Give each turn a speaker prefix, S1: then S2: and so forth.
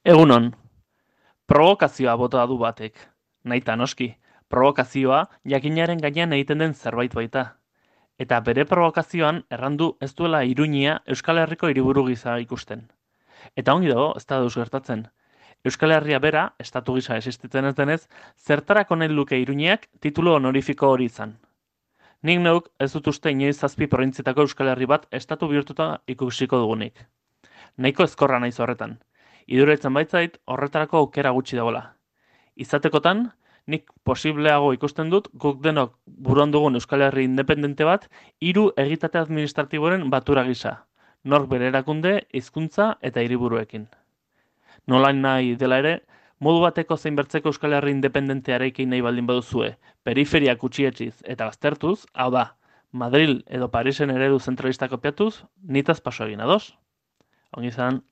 S1: Egunon, provokazioa bota du batek. Nahita noski, provokazioa jakinaren gainean egiten den zerbait baita. Eta bere provokazioan errandu ez duela Iruña Euskal Herriko hiriburu gisa ikusten. Eta ongi dago, ez da deus gertatzen. Euskal Herria bera, estatu gisa existitzen ez denez, zertarako nahi luke Iruñeak titulu honorifiko hori izan. Nik neuk ez dut uste inoiz 7 probintzietako Euskal Herri bat estatu bihurtuta ikusiko dugunik. Nahiko ezkorra naiz horretan. Iduritzen baitzait horretarako aukera gutxi dagoela. Izatekotan, nik posibleago ikusten dut guk denok buruan dugun Euskal Herri independente bat 3 egitate administratiboren batura gisa. Nork bere erakunde, hizkuntza eta hiriburuekin. Nolain nahi dela ere, modu bateko zein bertzeko Euskal Herri independentea eraikin nahi baldin baduzue, periferiak utxietxiz eta baztertuz, hau da, Madril edo Parisen eredu zentralista kopiatuz, nitaz paso egin ados. Ongi izan.